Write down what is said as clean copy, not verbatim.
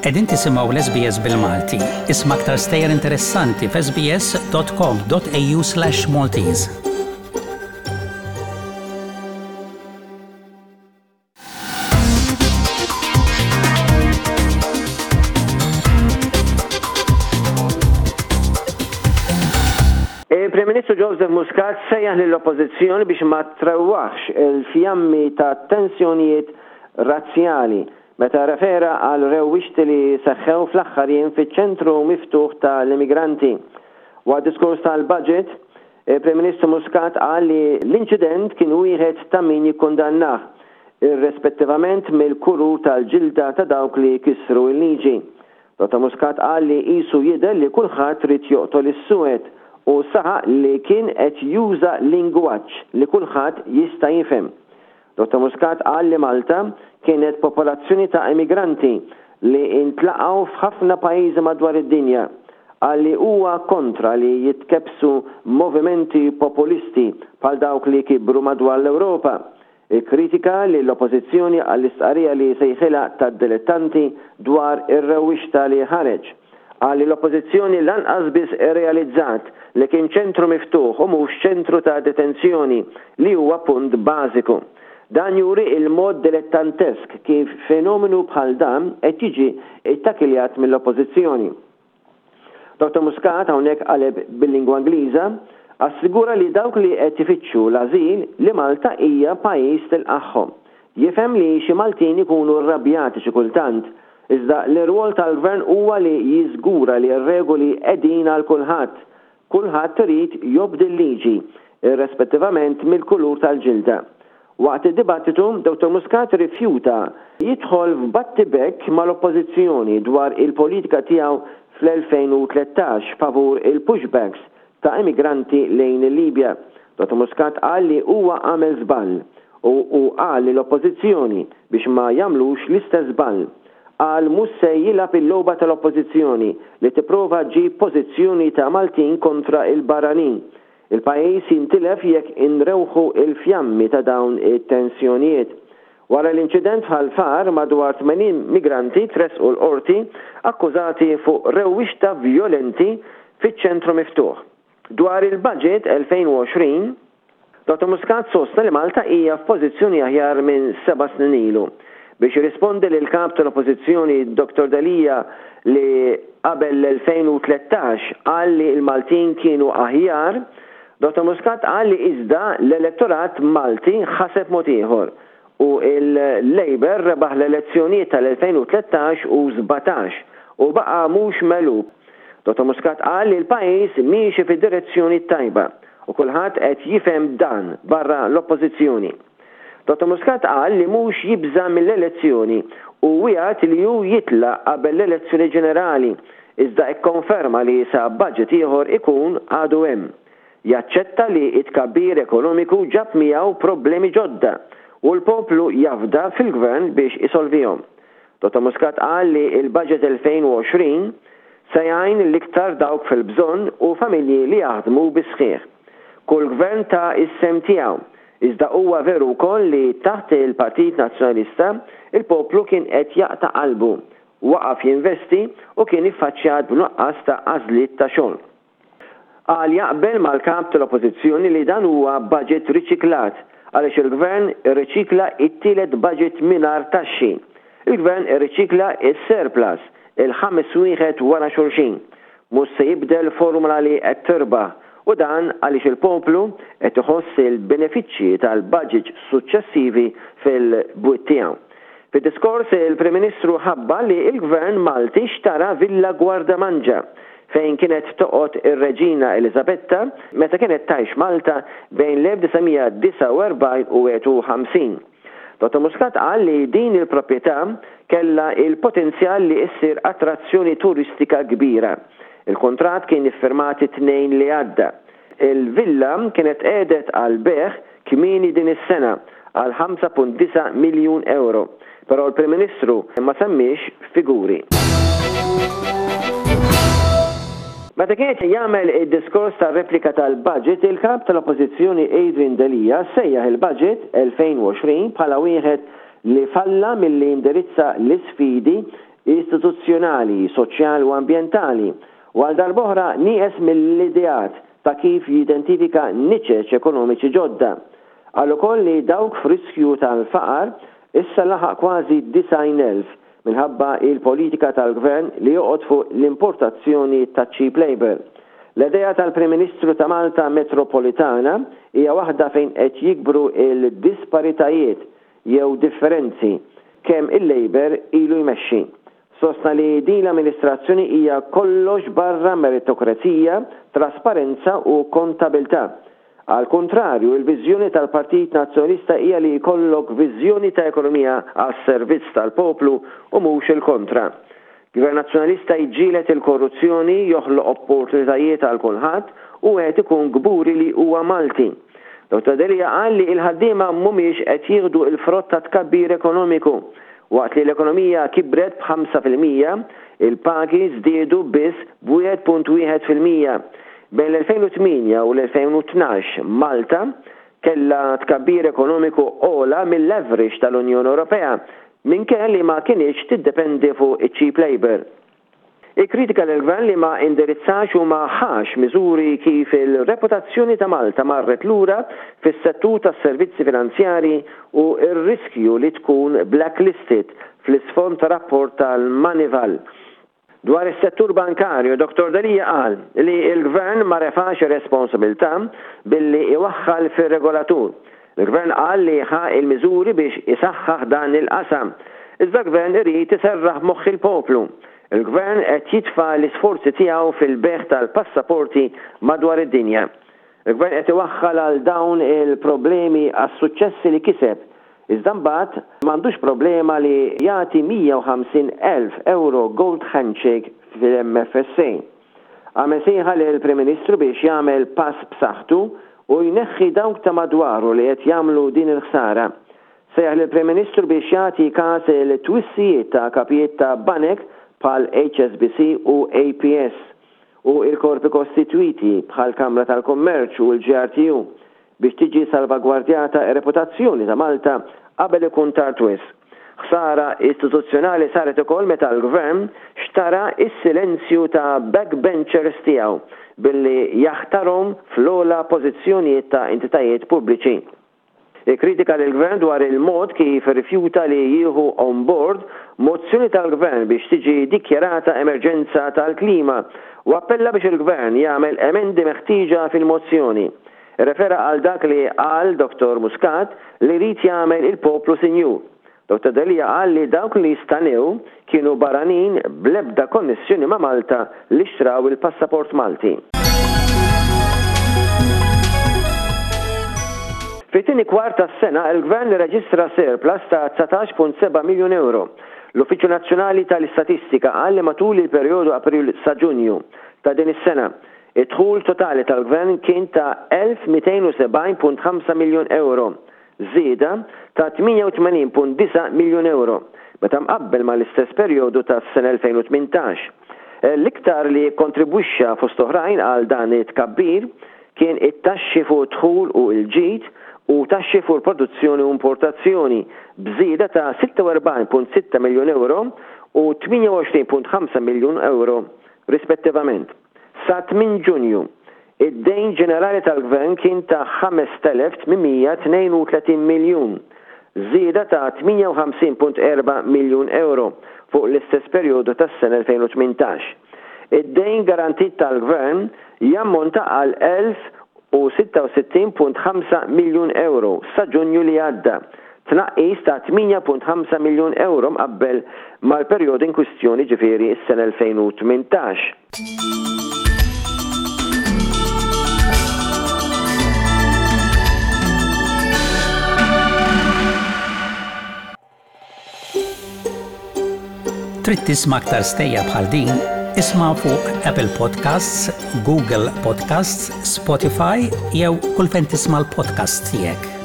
Qegħdin tisimgħu l-SBS bil-Malti. Isma' aktar stejjer interessanti f'sbs.com.au/maltese. Il-Prim Ministru Joseph Muscat sejjaħ lill-Oppożizzjoni biex ma trewwaħx il-fjammi ta' tensjonijiet razzjali meta rrefera għal rewwixti li seħħew fl-aħħar jiem fiċ-ċentru miftuħ tal-immigranti. Waqt diskors tal-budget, Il-Prim Ministru Muscat qal li l-inċident kien wieħed ta' min jikkundannah, irrespettivament mill-kulur tal-ġilda ta' dawk li kisru l-liġi. Dottor Muscat qal li qisu jidher li kulħadd ried joqtol is-suwed u saħaq li kien qed juża lingwaġġ li kulħadd jista' jifhem. Dottor Muscat qal li Malta kienet popolazzjoni ta' immigranti li ntlaqgħu f'ħafna pajjiżi madwar id-dinja. Qal li huwa kontra li jitkebbsu movimenti populisti bħal dawk li kibru madwar l-Ewropa. Ikkritika lill-Oppożizzjoni għall-istqarrija li sejħilha tad-dilettanti dwar ir-rewwixta li ħareġ. Qal li l-Oppożizzjoni lanqas biss irrealizzat li kien ċentru miftuħ u mhux ċentru ta' detenzjoni, li huwa punt bażiku. Dan juri il-mod dilettantesk kif fenomenu bħal dan qed jiġi ttakkiljat mill-Oppożizzjoni. Dottor Muscat, hawnhekk qaleb bil-lingwa Ingliża, assigura li dawk li qed ifittxu l-ażil li Malta hija pajjiż tilqagħhom. Jifhem li xi Maltin ikunu rrabjati xi kultant, Iżda l-irwol tal-Gvern huwa li jiżgura li r-regoli qegħdin għal kulħadd. Kulħadd irid jobdi l-liġi, irrespettivament mill-kulur tal-ġilda. Waqt id-dibattitu, Dottor Muscat rrifjuta jidħol f'battibekk mal-Oppożizzjoni dwar il-politika tiegħu fl-2013 favur il-pushbacks ta' immigranti lejn il-Libja. Dottor Muscat qal li huwa għamel żball u hu qal lill-Oppożizzjoni biex ma jagħmlux l-istess żball. Qal mhux se jilgħab il-logħba tal-Oppożizzjoni li tipprova ġġib pożizzjoni ta' Maltin kontra l-barranin. Il-pajjiż jintilef jekk inrewħu l-fjammi ta' dawn it-tensjonijiet. Wara l-inċident f'Ħal Far, madwar 80 migranti tressqu l-Qorti akkużati fuq rewwixta vjolenti fiċ-ċentru miftuħ. Dwar il-Budget 2020, Dottor Muscat sostna li Malta hija f'pożizzjoni aħjar minn seba' snin ilu. Biex jirrispondi lill-Kap tal-Oppożizzjoni Dottor Delia li qabel l-2013 qal li l-Maltin kienu aħjar, Dottor Muscat qal li iżda l-elettorat Malti ħaseb mod ieħor u l-Labour rebaħ l-elezzjonijiet tal-2013 u 17 u baqa' mhux megħlub. Dottor Muscat qal li l-pajjiż miexi fid-direzzjoni t-tajba u kulħadd qed jifhem dan barra l-Oppożizzjoni. Dottor Muscat qal li mhux jibża' mill-elezzjoni u wiegħed li hu jitlaq qabel l-elezzjoni ġenerali iżda kkonferma li sa budget ieħor ikun għadu hemm. Jaċċetta li t-tkabbir ekonomiku ġab miegħu problemi ġodda u l-poplu jafda fil-Gvern biex isolvihom. Dottor Muscat qal li l-Budget 2020 se jgħin l-iktar dawk fil-bżonn u familji li jaħdmu bis-sħiħ. Kull Gvern ta s-sehem tiegħu, iżda huwa veru wkoll li taħt il-Partit Nazzjonalista l-poplu kien qed jaqta' qalbu, waqaf jinvesti u kien iffaċċjat b'nuqqas ta' għażliet ta' xogħol. Qal jaqbel mal-Kap tal-Oppożizzjoni li dan huwa budget riċiklat għaliex il-Gvern irriċikla t-tielet budget mingħajr taxxi. Il-Gvern irriċikla s-surplus, il-ħames wieħed wara xulxin. Mhux se jibdel formula li qed tirbaħ u dan għaliex il-poplu qed iħoss il-benefiċċji tal-budgets suċċessivi fil-bwiet tiegħu. Fid-diskors, il-Prim Ministru ħabbar li l-Gvern Malti xtara Villa Gwardamanġa, fejn kienet toqgħod ir-Reġina Eliżabetta meta kienet tgħix Malta bejn l-1949 u 51. Dottor Muscat qal li din il-proprjetà kellha l-potenzjal li ssir attrazzjoni turistika kbira. Il-kuntratt kien iffirmat it-Tnejn li għadda. Il-villa kienet tqiegħdet għall-bejgħ kmieni din is-sena għal 5.9 miljun ewro, però l-Prim Ministru ma semmiex figuri. Meta kien qed jagħmel id-diskors tar-replika tal-budget, il-Kap tal-Oppożizzjoni Adrian Delia sejjaħ il-Budget 2020 bħala wieħed li falla milli jindirizza l-isfidi. istituzzjonali, soċjali u ambjentali u għal darb'oħra nieqes mill-ideat ta' kif jidentifika niċeċ ekonomiċi ġodda. Qal ukoll li dawk f'riskju tal-faqar issa laħaq kważi 90,000 minħabba il-politika tal-Gvern li joqgħod fuq l-importazzjoni ta' cheap labour. L-idea tal-Prim Ministru ta' Malta Metropolitana hija waħda fejn qed jikbru l-disparitajiet jew differenzi kemm il-Labour ilu jmexxi. Sostna li din l-amministrazzjoni hija kollox barra meritokrazija, trasparenza u kontabilità. Għall-kuntrarju, il-viżjoni tal-Partit Nazzjonalista hija li jkollok viżjoni ta' ekonomija għas-servizz tal-poplu u mhux il-kontra. Gvern Nazzjonalista jġieled il-korruzzjoni, joħloq opportunitajiet għal kulħadd u wieħed ikun kburi li huwa Malti. Dottor Delia qal li l-ħaddiema mhumiex qed jieħdu l-frott tat-tkabbir ekonomiku. Waqt li l-ekonomija kibret b'5%, il-pagi żdiedu biss b'1.1%. Bejn l-2008 u l-2012 Malta kellha tkabbir ekonomiku ogħla mill-average tal-Unjoni Ewropea minkejja li ma kinitx tiddependi fuq iċ-cheap labour. Ikkritika lill-Gvern li ma indirizzax u ma ħax miżuri kif il-reputazzjoni ta' Malta marret lura fis-settur tas-servizzi finanzjarji u r-riskju li tkun blacklisted fl-isfond ta' rapport tal-Moneyval. Dwar is-settur bankarju, Dottor Delia qal li l-Gvern ma refax ir-responsabilità billi iwaħħal fir-regolatur. Il-Gvern qal li ħa l-miżuri biex isaħħaħ dan il-qasam. Iżda l-Gvern irid iserraħ moħħ il-poplu. Il-Gvern qed jitfa' l-isforzi tiegħu fil-bejgħ tal-passaporti madwar id-dinja. Il-Gvern qed iwaħħal għal dawn il-problemi għas-suċċessi li kiseb, iżda mbagħad m'għandux problema li jagħti 150,000 ewro gold handshake fil-MFSA. Għamel sejħa lill-Prim Ministru biex jagħmel pass b'saħħtu u jneħħi dawk ta' madwaru li qed jagħmlu din il-ħsara. Sejjaħ lill-Prim Ministru biex jagħti każ il-twissijiet ta' kapijiet ta' banek bħal HSBC u APS u l-korpi kostitwiti bħall-Kamra tal-Kummerċ u l-GRTU biex tiġi salvagwardjata r-reputazzjoni ta' Malta qabel ikun tard wisq. Ħsara istituzzjonali saret ukoll meta l-Gvern xtara s-silenzju ta' backbenchers tiegħu billi jaħtarhom fl-ogħla pożizzjonijiet ta' entitajiet pubbliċi. Ikkritika lill-Gvern dwar il-mod kif irrifjuta li jieħu on board mozzjoni tal-Gvern biex tiġi dikjarata emerġenza tal-klima u appella biex il-Gvern jagħmel emendi meħtieġa fil-mozzjoni. Irrefera għal dak li qal Dottor Muscat li jrid jagħmel il-poplu sinjur. Dottor Delia qal li dawk li stanew kienu barranin bl-ebda konnessjoni ma' Malta li xtraw il-passaport Malti. Fit-tieni kwart tas-sena, il-Gvern irreġistra surplus ta' 19.7 miljun ewro. L-Uffiċċju Nazzjonali tal-Istatistika qal li matul il-perjodu April sa Ġunju ta' din is-sena, Id-dħul totali tal-Gvern kien ta' 1,270.5 miljun ewro, żieda ta' 88.9 miljun ewro meta mqabbel mal-istess perjodu tas-sena 2018. L-iktar li kkontribwixxa fost oħrajn għal dan it-tkabbir kien it-taxxi fuq id-dħul u l-ġid u taxxi fuq il-produzzjoni u importazzjoni b'żieda ta' 46.6 miljun ewro u 28.5 miljun ewro rispettivament. Sa tmien Ġunju, id-dejn ġenerali tal-Gvern kien ta' 5,832 miljun, żieda ta' 58.4 miljun ewro fuq l-istess perjodu tas-sena 2018. Id-dejn garantit tal-Gvern jammonta għal 1,066.5 miljun ewro sa Ġunju li għadda, tnaqqis ta' 8.5 miljun ewro mqabbel mal-perjodu inkwistjoni jiġifieri s-sena 2018. Trid tisma' aktar stejjer bħal din? Isma' fuq Apple Podcasts, Google Podcasts, Spotify jew kull fejn tisma' l-podcasts tiegħek.